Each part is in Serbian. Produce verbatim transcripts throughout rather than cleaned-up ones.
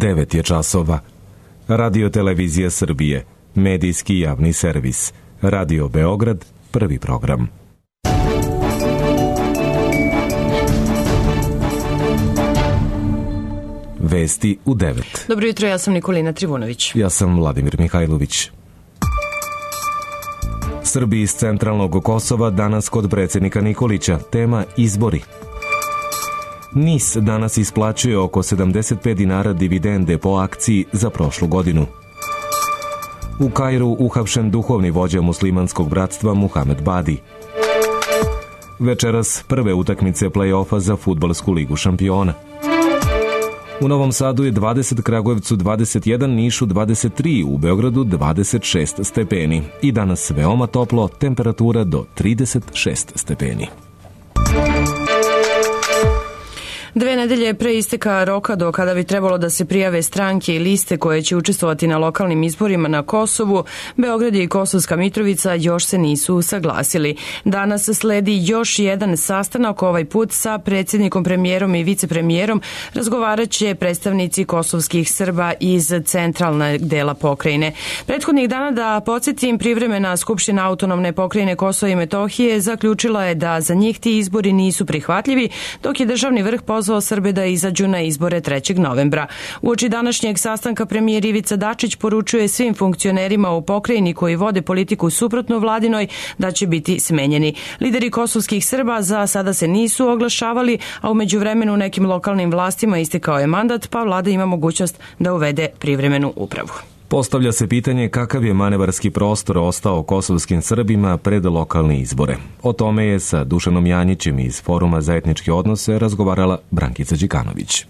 devet je časova. Radio Televizija Srbije, medijski javni servis. Radio Beograd, prvi program. Vesti u devet. Dobro jutro, ja sam Nikolina Trivunović. Ja sam Vladimir Mihajlović. Srbi iz centralnog Kosova danas kod predsjednika Nikolića. Tema izbori. N I S danas isplaćuje oko sedamdeset pet dinara dividende po akciji za prošlu godinu. U Kairu uhapšen duhovni vođa muslimanskog bratstva Muhamed Badi. Večeras prve utakmice play-offa za fudbalsku ligu šampiona. U Novom Sadu je dvadeset, Kragujevcu dvadeset jedan, Nišu dvadeset tri, u Beogradu dvadeset šest stepeni. I danas veoma toplo, temperatura do trideset šest stepeni. Dve nedelje pre isteka roka do kada bi trebalo da se prijave stranke i liste koje će učestvovati na lokalnim izborima na Kosovu, Beograd i Kosovska Mitrovica još se nisu saglasili. Danas sledi još jedan sastanak, ovaj put sa predsjednikom, premijerom i vicepremijerom. Razgovarat će predstavnici kosovskih Srba iz centralnog dela pokrajine. Prethodnih dana, da podsjetim, privremena Skupština autonomne pokrajine Kosova i Metohije zaključila je da za njih ti izbori nisu prihvatljivi, dok je državni vrh pozvao Srbe da izađu na izbore trećeg novembra. Uoči današnjeg sastanka premijer Ivica Dačić poručuje svim funkcionerima u pokrajini koji vode politiku suprotno vladinoj da će biti smenjeni. Lideri kosovskih Srba za sada se nisu oglašavali, a u međuvremenu nekim lokalnim vlastima istekao je mandat, pa vlada ima mogućnost da uvede privremenu upravu. Postavlja se pitanje kakav je manevarski prostor ostao kosovskim Srbima pred lokalne izbore. O tome je sa Dušanom Janjićem iz Foruma za etničke odnose razgovarala Brankica Đikanović.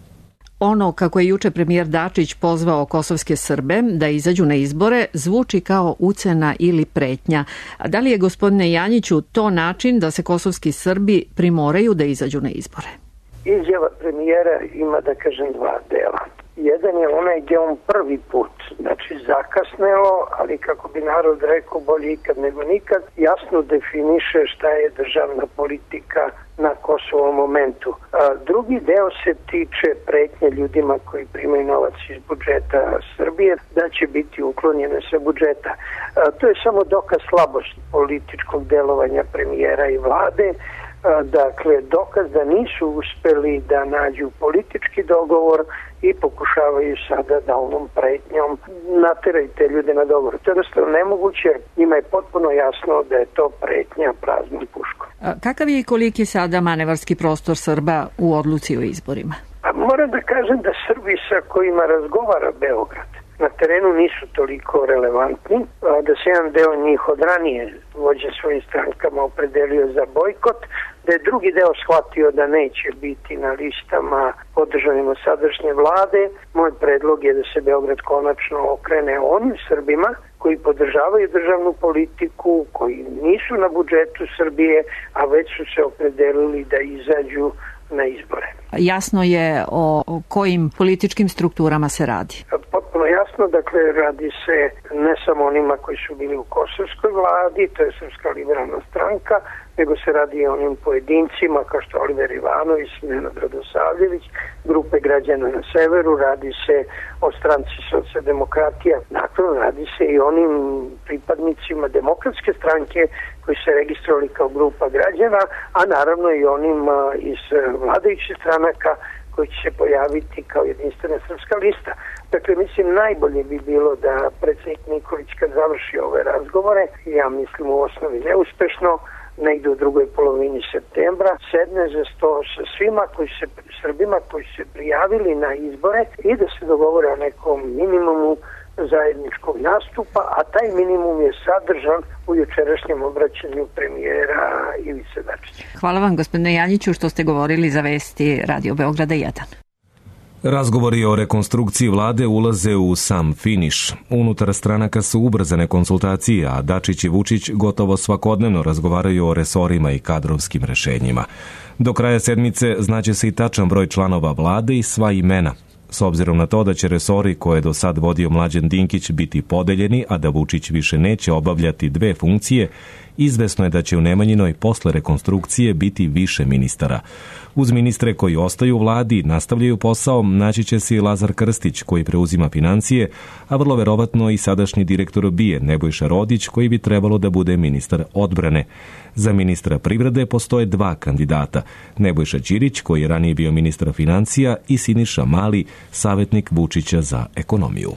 Ono kako je juče premijer Dačić pozvao kosovske Srbe da izađu na izbore zvuči kao ucena ili pretnja. A da li je, gospodine Janjiću, to način da se kosovski Srbi primoraju da izađu na izbore? Izjava premijera ima, da kažem, dva dela. Jedan je onaj gdje on prvi put, znači zakasnelo, ali kako bi narod rekao, bolje ikad nego nikad, jasno definiše šta je državna politika na Kosovom momentu. A drugi deo se tiče pretnje ljudima koji primaju novac iz budžeta Srbije, da će biti uklonjene sa budžeta. A to je samo dokaz slabosti političkog delovanja premijera i vlade. Dakle, dokaz da nisu uspeli da nađu politički dogovor i pokušavaju sada da ovom pretnjom nateraju te ljude na dogovor. To je jednostavno nemoguće, njima je potpuno jasno da je to pretnja praznom puškom. A kakav je i koliki sada manevarski prostor Srba u odluci o izborima? Pa moram da kažem da Srbi sa kojima razgovara Beograd na terenu nisu toliko relevantni, da se jedan deo njih od ranije vođe svojim strankama opredelio za bojkot, da je drugi deo shvatio da neće biti na listama podržanima sadašnje vlade. Moj predlog je da se Beograd konačno okrene onim Srbima koji podržavaju državnu politiku, koji nisu na budžetu Srbije, a već su se opredelili da izađu na izbore. Jasno je o kojim političkim strukturama se radi? Potpuno jasno, dakle radi se ne samo onima koji su bili u kosovskoj vladi, to je Srpska liberalna stranka, nego se radi i onim pojedincima kao što Oliver Ivanović, Nenad Radosavljević, grupe građana na severu, radi se o stranci socijaldemokratija, nakon radi se i onim pripadnicima demokratske stranke koji se registrovali kao grupa građana, a naravno i onim iz vladajućih stranaka koji će se pojaviti kao jedinstvena srpska lista. Dakle, mislim, najbolje bi bilo da predsjednik Nikolić kad završi ove razgovore, ja mislim u osnovi neuspešno, negdje u drugoj polovini septembra, sedne za sto sa svima koji se, Srbima koji se prijavili na izbore i da se dogovore o nekom minimumu zajedničkog nastupa, a taj minimum je sadržan u jučerašnjem obraćanju premijera Ivice Dačića. Hvala vam, gospodine Janjiću, što ste govorili za Vesti Radio Beograda jedan. Razgovori o rekonstrukciji vlade ulaze u sam finiš. Unutar stranaka su ubrzane konsultacije, a Dačić i Vučić gotovo svakodnevno razgovaraju o resorima i kadrovskim rešenjima. Do kraja sedmice znaće se i tačan broj članova vlade i sva imena. S obzirom na to da će resori koje je do sad vodio Mlađan Dinkić biti podeljeni, a da Vučić više neće obavljati dve funkcije, izvesno je da će u Nemanjinoj posle rekonstrukcije biti više ministara. Uz ministre koji ostaju u vladi, nastavljaju posao, naći će se i Lazar Krstić koji preuzima financije, a vrlo verovatno i sadašnji direktor B I A Nebojša Rodić koji bi trebalo da bude ministar odbrane. Za ministra privrede postoje dva kandidata, Nebojša Ćirić koji je ranije bio ministar financija i Siniša Mali, savjetnik Vučića za ekonomiju.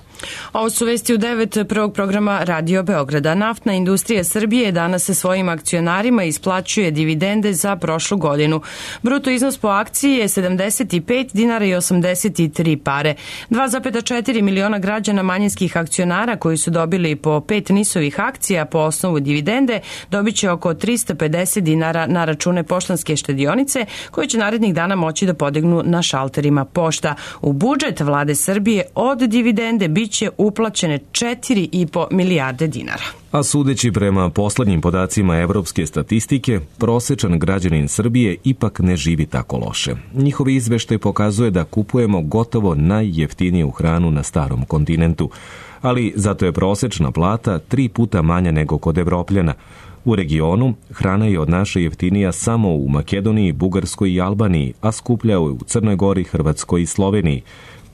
Ovo su vesti u devet prvog programa Radio Beograda. Naftna industrija Srbije danas se svojim akcionarima isplaćuje dividende za prošlu godinu. Bruto iznos po akciji je sedamdeset pet dinara i osamdeset tri pare. dva zarez četiri miliona građana manjinskih akcionara koji su dobili po pet nisovih akcija po osnovu dividende dobit će oko trista pedeset dinara na račune poštanske štedionice koje će narednih dana moći da podignu na šalterima pošta. U budžet vlade Srbije od dividende bit će uplaćene četiri i po milijarde dinara. A sudeći prema poslednjim podacima evropske statistike, prosečan građanin Srbije ipak ne živi tako loše. Njihovi izveštaj pokazuje da kupujemo gotovo najjeftiniju hranu na starom kontinentu, ali zato je prosečna plata tri puta manja nego kod Evropljana. U regionu hrana je od naše jeftinija samo u Makedoniji, Bugarskoj i Albaniji, a skuplja je u Crnoj Gori, Hrvatskoj i Sloveniji.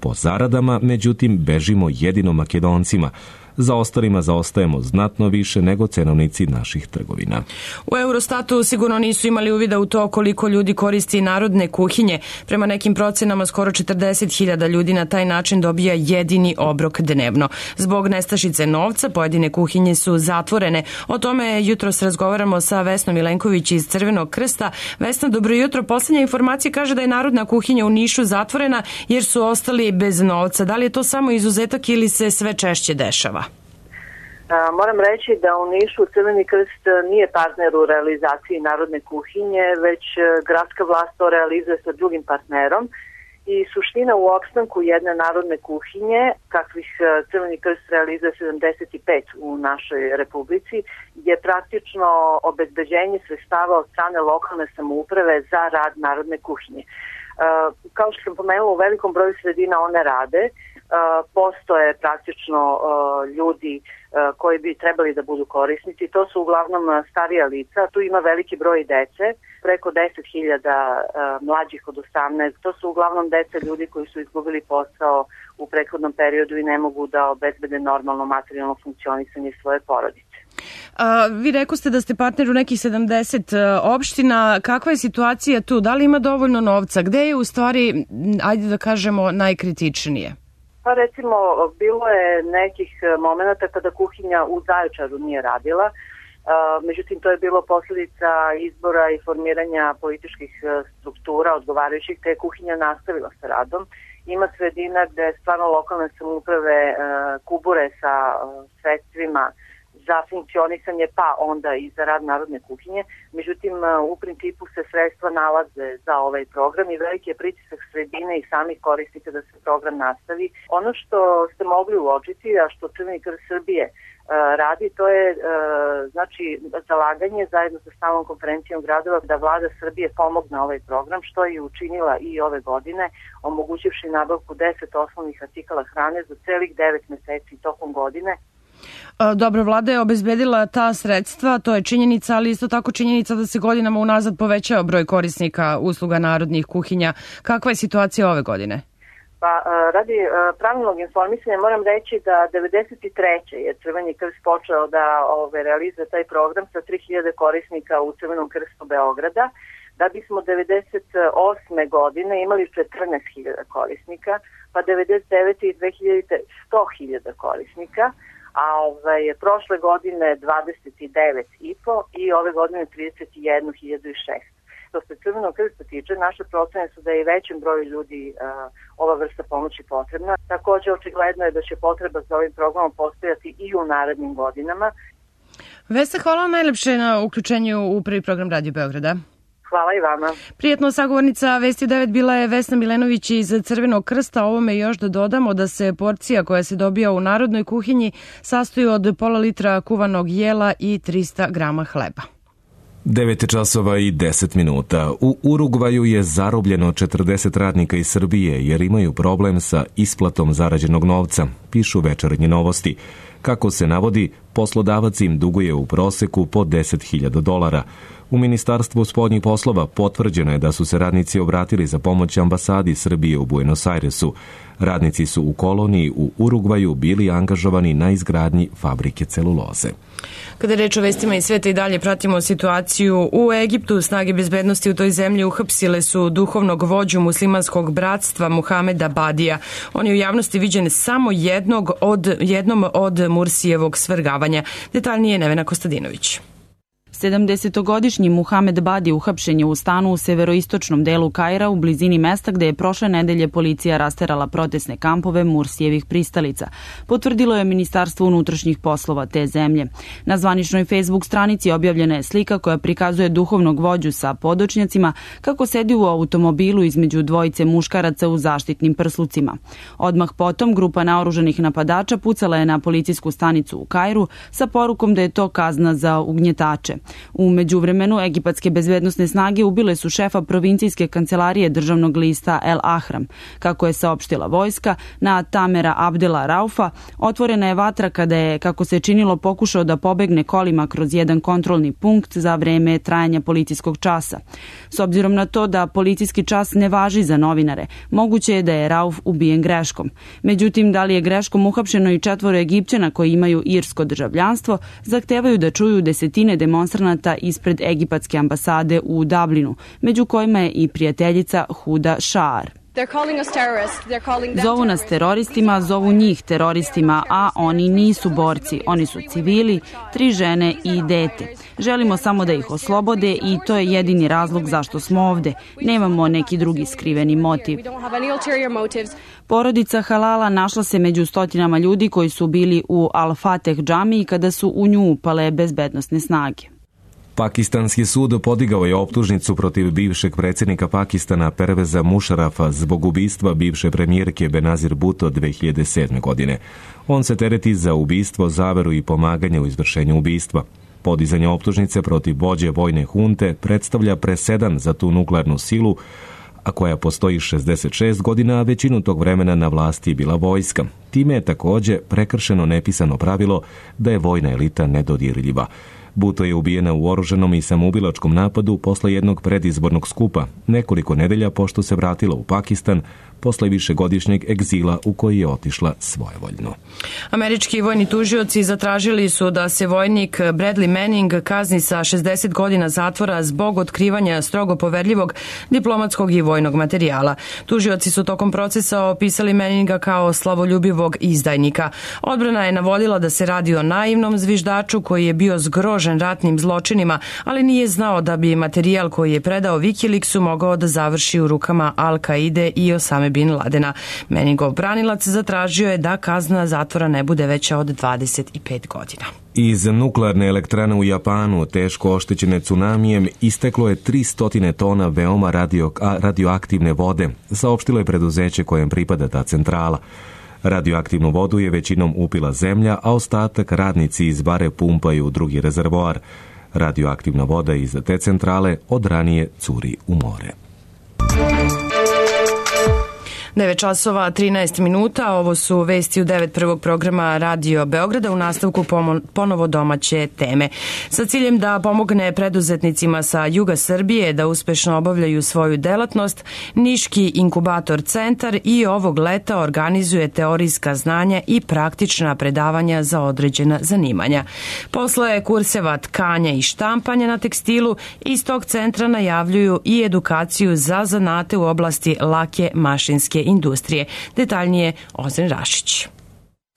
Po zaradama, međutim, bežimo jedino Makedoncima. Za ostalima zaostajemo znatno više nego cenovnici naših trgovina. U Eurostatu sigurno nisu imali uvida u to koliko ljudi koristi narodne kuhinje. Prema nekim procenama skoro četrdeset hiljada ljudi na taj način dobija jedini obrok dnevno. Zbog nestašice novca pojedine kuhinje su zatvorene. O tome jutros razgovaramo sa Vesnom Milenković iz Crvenog krsta. Vesna, dobro jutro. Poslednja informacija kaže da je narodna kuhinja u Nišu zatvorena jer su ostali bez novca. Da li je to samo izuzetak ili se sve češće dešava? Moram reći da u Nišu Crveni krst nije partner u realizaciji narodne kuhinje, već gradska vlast to realizuje sa drugim partnerom i suština u opstanku jedne narodne kuhinje, kakvih Crveni krst realizuje sedamdeset pet u našoj republici, je praktično obezbeđenje sredstava od strane lokalne samouprave za rad narodne kuhinje. Kao što sam pomenula, u velikom broju sredina one rade, postoje praktično ljudi koji bi trebali da budu korisnici. To su uglavnom starija lica, tu ima veliki broj dece, preko deset hiljada mlađih od osamnaest. To su uglavnom deca ljudi koji su izgubili posao u prethodnom periodu i ne mogu da obezbede normalno materijalno funkcionisanje svoje porodice. A, vi rekoste da ste partner u nekih sedamdeset opština. Kakva je situacija tu? Da li ima dovoljno novca? Gde je u stvari, ajde da kažemo, najkritičnije? Pa recimo, bilo je nekih momenata kada kuhinja u Zaječaru nije radila, međutim to je bilo posljedica izbora i formiranja političkih struktura odgovarajućih, te je kuhinja nastavila sa radom. Ima sredina gde stvarno lokalne samouprave kubure sa sredstvima za funkcionisanje, pa onda i za rad narodne kuhinje. Međutim, u principu se sredstva nalaze za ovaj program i veliki je pritisak sredine i samih korisnika da se program nastavi. Ono što ste mogli uočiti, a što Crveni krst Srbije radi, to je znači zalaganje zajedno sa stalnom konferencijom gradova da vlada Srbije pomogne ovaj program, što je učinila i ove godine, omogućivši nabavku deset osnovnih artikala hrane za celih devet meseci tokom godine. Dobro, vlada je obezbedila ta sredstva, to je činjenica, ali isto tako činjenica da se godinama unazad povećao broj korisnika usluga narodnih kuhinja. Kakva je situacija ove godine? Pa radi pravilnog informisanja moram reći da devedeset treće je Crveni krst počeo da ove, realizuje taj program sa tri hiljade korisnika u Crvenom krstu Beograda, da bismo devedeset osme godine imali četrnaest hiljada korisnika, pa devedeset devete i dve hiljade sto hiljada korisnika, a ovaj, prošle godine dvadeset devet i po i ove godine trideset jednu hiljadu šest. Što se Crvenog krsta tiče, naše procene su da je i većem broju ljudi uh, ova vrsta pomoći potrebna. Takođe, očigledno je da će potreba za ovim programom postojati i u narednim godinama. Vesna, hvala najlepše na uključenju u prvi program Radio Beograda. Hvala i vama. Prijetno, sagovornica Vesti devet bila je Vesna Milenović iz Crvenog krsta. Ovome još da dodamo da se porcija koja se dobija u narodnoj kuhinji sastoji od pola litra kuvanog jela i trista grama hleba. devet časova i deset minuta. U Urugvaju je zarobljeno četrdeset radnika iz Srbije jer imaju problem sa isplatom zarađenog novca, pišu Večernje novosti. Kako se navodi, poslodavac im duguje u proseku po deset hiljada dolara. U Ministarstvu spoljnih poslova potvrđeno je da su se radnici obratili za pomoć ambasadi Srbije u Buenos Airesu. Radnici su u koloniji u Urugvaju bili angažovani na izgradnji fabrike celuloze. Kada je reč o vestima iz sveta i dalje pratimo situaciju u Egiptu, snage bezbednosti u toj zemlji uhapsile su duhovnog vođu muslimanskog bratstva Muhameda Badija. On je u javnosti viđen samo jednog od, jednom od Mursijevog svrgavanja. Detaljnije Nevena Kostadinović. sedamdesetogodišnji Muhamed Badi uhapšen je u stanu u severoistočnom delu Kaira u blizini mesta gde je prošle nedelje policija rasterala protestne kampove Mursijevih pristalica, potvrdilo je Ministarstvo unutrašnjih poslova te zemlje. Na zvaničnoj Facebook stranici objavljena je slika koja prikazuje duhovnog vođu sa podočnjacima kako sedi u automobilu između dvojice muškaraca u zaštitnim prslucima. Odmah potom grupa naoružanih napadača pucala je na policijsku stanicu u Kairu sa porukom da je to kazna za ugnjetače. U međuvremenu, egipatske bezbednosne snage ubile su šefa provincijske kancelarije državnog lista El Ahram. Kako je saopštila vojska, na Tamera Abdela Raufa otvorena je vatra kada je, kako se činilo, pokušao da pobegne kolima kroz jedan kontrolni punkt za vreme trajanja policijskog časa. S obzirom na to da policijski čas ne važi za novinare, moguće je da je Rauf ubijen greškom. Međutim, da li je greškom uhapšeno i četvoro Egipćana koji imaju irsko državljanstvo, zahtevaju da čuju desetine demonstranata ispred egipatske ambasade u Dublinu, među kojima je i prijateljica Huda Šaar. Zovu nas teroristima, zovu njih teroristima, a oni nisu borci, oni su civili, tri žene i dete. Želimo samo da ih oslobode i to je jedini razlog zašto smo ovde. Nemamo neki drugi skriveni motiv. Porodica Halala našla se među stotinama ljudi koji su bili u Al-Fateh džamiji kada su u nju upale bezbednosne snage. Pakistanski sud podigao je optužnicu protiv bivšeg predsjednika Pakistana Perveza Mušarafa zbog ubistva bivše premijerke Benazir Bhutto dve hiljade sedme. godine. On se tereti za ubistvo, zaveru i pomaganje u izvršenju ubistva. Podizanje optužnice protiv vođe vojne hunte predstavlja presedan za tu nuklearnu silu, a koja postoji šezdeset šest godina, a većinu tog vremena na vlasti je bila vojska. Time je takođe prekršeno nepisano pravilo da je vojna elita nedodirljiva. Bhutto je ubijena u oruženom i samoubilačkom napadu posle jednog predizbornog skupa, nekoliko nedelja pošto se vratila u Pakistan posle višegodišnjeg egzila u koji je otišla svojevoljno. Američki vojni tužioci zatražili su da se vojnik Bradley Manning kazni sa šezdeset godina zatvora zbog otkrivanja strogo poverljivog diplomatskog i vojnog materijala. Tužioci su tokom procesa opisali Manninga kao slavoljubivog izdajnika. Odbrana je navodila da se radi o naivnom zviždaču koji je bio zgrožen ratnim zločinima, ali nije znao da bi materijal koji je predao Wikileaksu mogao da završi u rukama Al-Kaide i Osame bin Ladena. Manningov branilac zatražio je da kazna zatvora ne bude veća od dvadeset pet godina. Iz nuklearne elektrane u Japanu, teško oštećene tsunamijem, isteklo je tristo tona veoma radio, radioaktivne vode, saopštilo je preduzeće kojem pripada ta centrala. Radioaktivnu vodu je većinom upila zemlja, a ostatak radnici iz bare pumpaju u drugi rezervoar. Radioaktivna voda iz te centrale od ranije curi u more. devet časova trinaest minuta, ovo su vesti u devet prvog programa Radio Beograda, u nastavku ponovo domaće teme. Sa ciljem da pomogne preduzetnicima sa juga Srbije da uspešno obavljaju svoju delatnost, Niški inkubator centar i ovog leta organizuje teorijska znanja i praktična predavanja za određena zanimanja. Posle kurseva tkanja i štampanja na tekstilu, iz tog centra najavljuju i edukaciju za zanate u oblasti lake mašinske industrije. Detaljnije Ozren Rašić.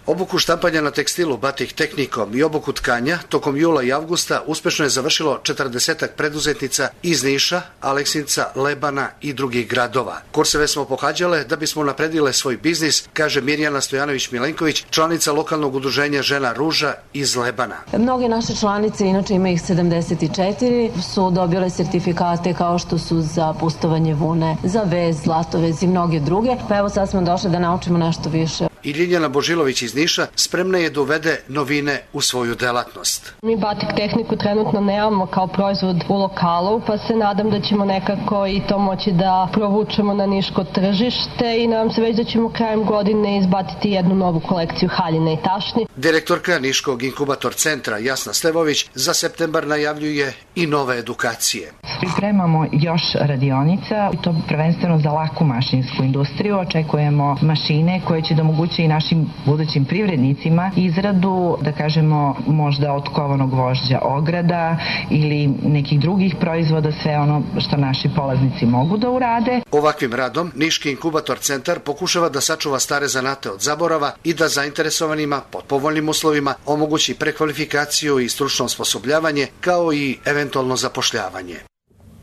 Obuku štampanja na tekstilu batik tehnikom i obuku tkanja tokom jula i avgusta uspešno je završilo četrdesetak preduzetnica iz Niša, Aleksinca, Lebana i drugih gradova. Kurseve smo pohađale da bismo napredile svoj biznis, kaže Mirjana Stojanović-Milenković, članica lokalnog udruženja Žena Ruža iz Lebana. Mnoge naše članice, inače ima ih sedamdeset četiri, su dobile sertifikate kao što su za pustovanje vune, za vez, zlatovez i mnoge druge. Pa evo sad smo došli da naučimo nešto više. i Ljiljana Božilović iz Niša spremna je da uvede novine u svoju delatnost. Mi batik tehniku trenutno nemamo kao proizvod u lokalu, pa se nadam da ćemo nekako i to moći da provučemo na niško tržište i nadam se već da ćemo krajem godine izbatiti jednu novu kolekciju haljine i tašni. Direktorka Niškog inkubator centra Jasna Stevović za septembar najavljuje i nove edukacije. Pripremamo još radionica, to prvenstveno za laku mašinsku industriju. Očekujemo mašine koje će da omoguće i našim budućim privrednicima izradu, da kažemo, možda od kovanog gvožđa ograda ili nekih drugih proizvoda, sve ono što naši polaznici mogu da urade. Ovakvim radom Niški inkubator centar pokušava da sačuva stare zanate od zaborava i da zainteresovanima pod povoljnim uslovima omogući prekvalifikaciju i stručno osposobljavanje, kao i eventualno zapošljavanje.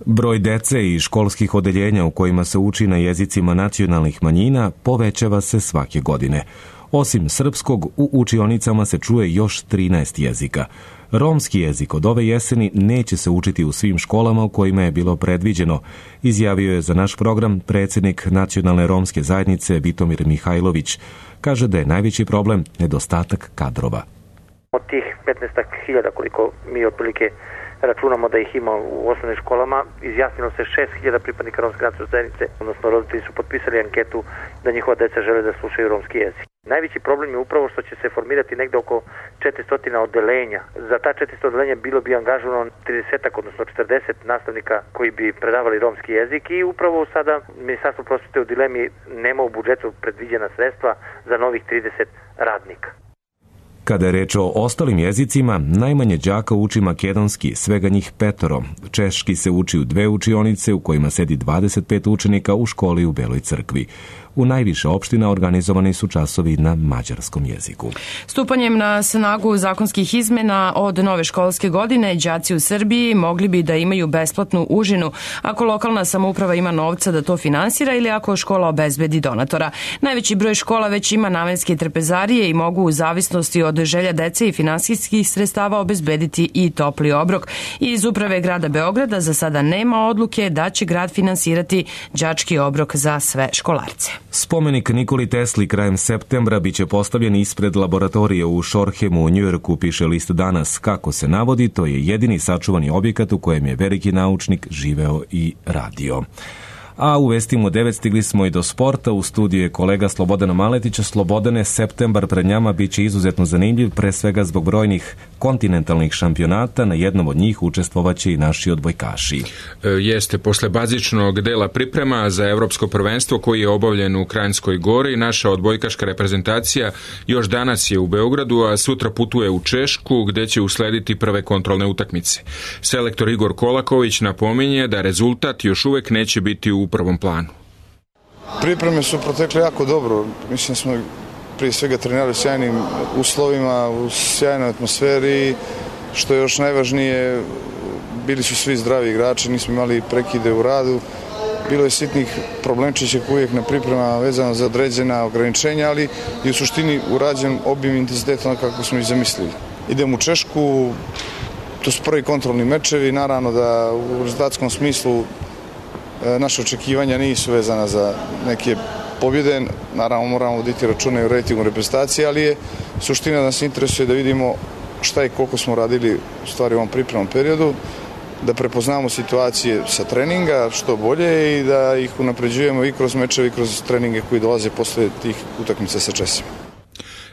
Broj dece i školskih odeljenja u kojima se uči na jezicima nacionalnih manjina povećava se svake godine. Osim srpskog, u učionicama se čuje još trinaest jezika. Romski jezik od ove jeseni neće se učiti u svim školama u kojima je bilo predviđeno, izjavio je za naš program predsjednik Nacionalne romske zajednice Vitomir Mihajlović. Kaže da je najveći problem nedostatak kadrova. Od tih petnaest hiljada koliko mi otprilike računamo da ih ima u osnovnim školama, izjasnilo se šest hiljada pripadnika romske nacionalne zajednice, odnosno roditelji su potpisali anketu da njihova deca žele da slušaju romski jezik. Najveći problem je upravo što će se formirati negde oko četiristo odeljenja. Za ta četiristo odeljenja bilo bi angažovano trideset, odnosno četrdeset nastavnika koji bi predavali romski jezik i upravo sada Ministarstvo prosvete u dilemi, nema u budžetu predviđena sredstva za novih trideset radnika. Kada je reč o ostalim jezicima, najmanje đaka uči makedonski, svega njih petoro. Češki se uči u dve učionice u kojima sedi dvadeset pet učenika u školi u Beloj crkvi. U najviše opština organizovani su časovi na mađarskom jeziku. Stupanjem na snagu zakonskih izmena od nove školske godine, đaci u Srbiji mogli bi da imaju besplatnu užinu ako lokalna samouprava ima novca da to finansira ili ako škola obezbedi donatora. Najveći broj škola već ima namenske trpezarije i mogu u zavisnosti od želja dece i finansijskih sredstava obezbediti i topli obrok. Iz uprave grada Beograda za sada nema odluke da će grad finansirati đački obrok za sve školarce. Spomenik Nikoli Tesli krajem septembra biće postavljen ispred laboratorije u Shorehemu u Njujorku, piše list Danas. Kako se navodi, to je jedini sačuvani objekat u kojem je veliki naučnik živeo i radio. A u vestima devet stigli smo i do sporta. U studiju je kolega Slobodana Maletića. Slobodane, septembar pred njama biće izuzetno zanimljiv, pre svega zbog brojnih kontinentalnih šampionata. Na jednom od njih učestvovaće i naši odbojkaši. E, jeste, posle bazičnog dela priprema za evropsko prvenstvo koji je obavljen u Kranjskoj Gori, naša odbojkaška reprezentacija još danas je u Beogradu, a sutra putuje u Češku, gde će uslediti prve kontrolne utakmice. Selektor Igor Kolaković napominje da rezultat još uvek neće biti u u prvom planu. Pripreme su protekle jako dobro. Mislim smo prije svega trenirali u sjajnim uslovima, u sjajnoj atmosferi. Što je još najvažnije, bili su svi zdravi igrači, nismo imali prekide u radu. Bilo je sitnih problemčića uvijek na priprema vezano za određena ograničenja, ali i u suštini urađen obim intenziteta kako smo ih zamislili. Idemo u Češku, to su prvi kontrolni mečevi, naravno da u rezultatskom smislu naše očekivanja nisu vezana za neke pobjede, naravno moramo voditi račune u rejtingu reprezentacije, ali je suština da nas interesuje da vidimo šta i koliko smo radili u stvari u ovom pripremnom periodu, da prepoznamo situacije sa treninga što bolje i da ih unapređujemo i kroz mečeve i kroz treninge koji dolaze posle tih utakmica sa Česima.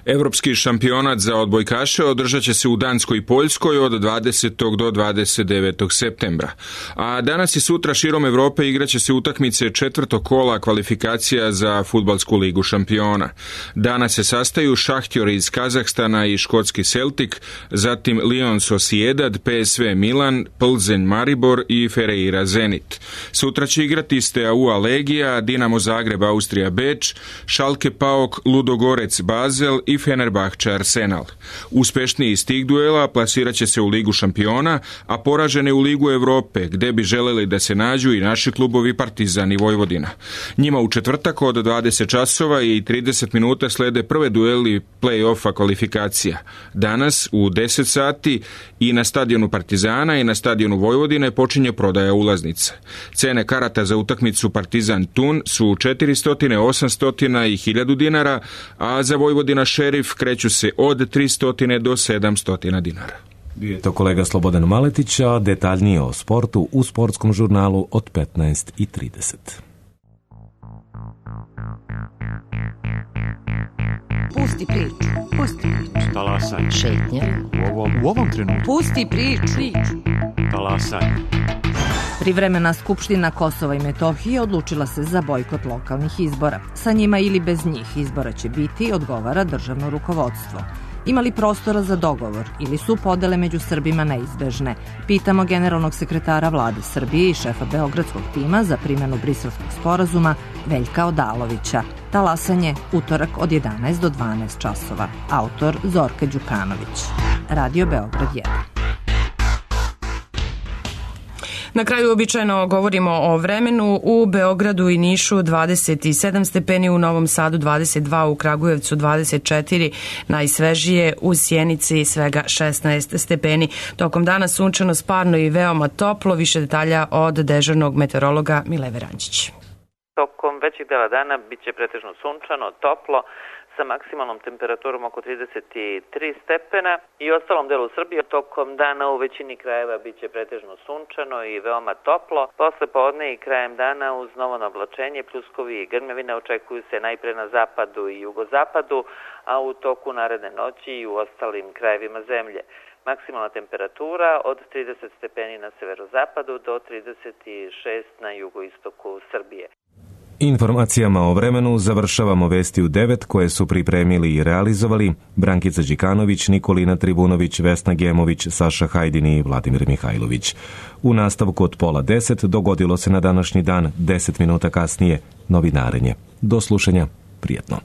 Evropski šampionat za odbojkaše održat će se u Danskoj i Poljskoj od dvadesetog do dvadeset devetog septembra. A danas i sutra širom Evrope igraće se utakmice četvrtog kola kvalifikacija za fudbalsku ligu šampiona. Danas se sastaju Šahtjor iz Kazahstana i škotski Celtic, zatim Lyon Sociedad, P S V Milan, Plzeň Maribor i Ferreira Zenit. Sutra će igrati Steaua Legija, Dinamo Zagreb Austrija Beč, Schalke Paok, Ludogorec Basel i Fenerbahče Arsenal. Uspešniji iz tih duela plasirat će se u Ligu šampiona, a poraženi u Ligu Evrope, gde bi želeli da se nađu i naši klubovi Partizan i Vojvodina. Njima u četvrtak od dvadeset časova i trideset minuta slede prve dueli play-offa kvalifikacija. Danas u deset sati i na stadionu Partizana i na stadionu Vojvodine počinje prodaja ulaznica. Cene karata za utakmicu Partizan Tun su četiristo, osamsto i hiljadu dinara, a za Vojvodina Šerif kreću se od tristo do sedamsto dinara. Bio je to kolega Slobodan Maletić, a detaljnije o sportu u sportskom žurnalu od petnaest i trideset. Pusti priču, pusti priču. Talasaj. Šetnja. U ovom, u ovom trenutku. Pusti priču. Talasaj. Privremena Skupština Kosova i Metohije odlučila se za bojkot lokalnih izbora. Sa njima ili bez njih izbora će biti, odgovara državno rukovodstvo. Ima li prostora za dogovor ili su podele među Srbima neizbežne? Pitamo generalnog sekretara vlade Srbije i šefa beogradskog tima za primjenu Briselskog sporazuma Veljka Odalovića. Talasanje utorak od jedanaest do dvanaest časova. Autor Zorka Đukanović. Radio Beograd jedan. Na kraju običajno govorimo o vremenu. U Beogradu i Nišu dvadeset sedam stepeni, u Novom Sadu dvadeset dva, u Kragujevcu dvadeset četiri, najsvežije u Sjenici svega šesnaest stepeni. Tokom dana sunčano, sparno i veoma toplo. Više detalja od dežurnog meteorologa Mileve Rančić. Tokom većeg dela dana bit će pretežno sunčano, toplo, sa maksimalnom temperaturom oko trideset tri stepena i u ostalom delu Srbije tokom dana u većini krajeva bit će pretežno sunčano i veoma toplo. Posle podne i krajem dana uz novo navlačenje, pljuskovi i grmevine očekuju se najpre na zapadu i jugozapadu, a u toku naredne noći i u ostalim krajevima zemlje. Maksimalna temperatura od trideset stepeni na severozapadu do trideset šest na jugoistoku Srbije. Informacijama o vremenu završavamo vesti u devet koje su pripremili i realizovali Brankica Đikanović, Nikolina Tribunović, Vesna Gemović, Saša Hajdin i Vladimir Mihajlović. U nastavku od pola deset dogodilo se na današnji dan, deset minuta kasnije, novinarenje. Do slušanja, prijetno.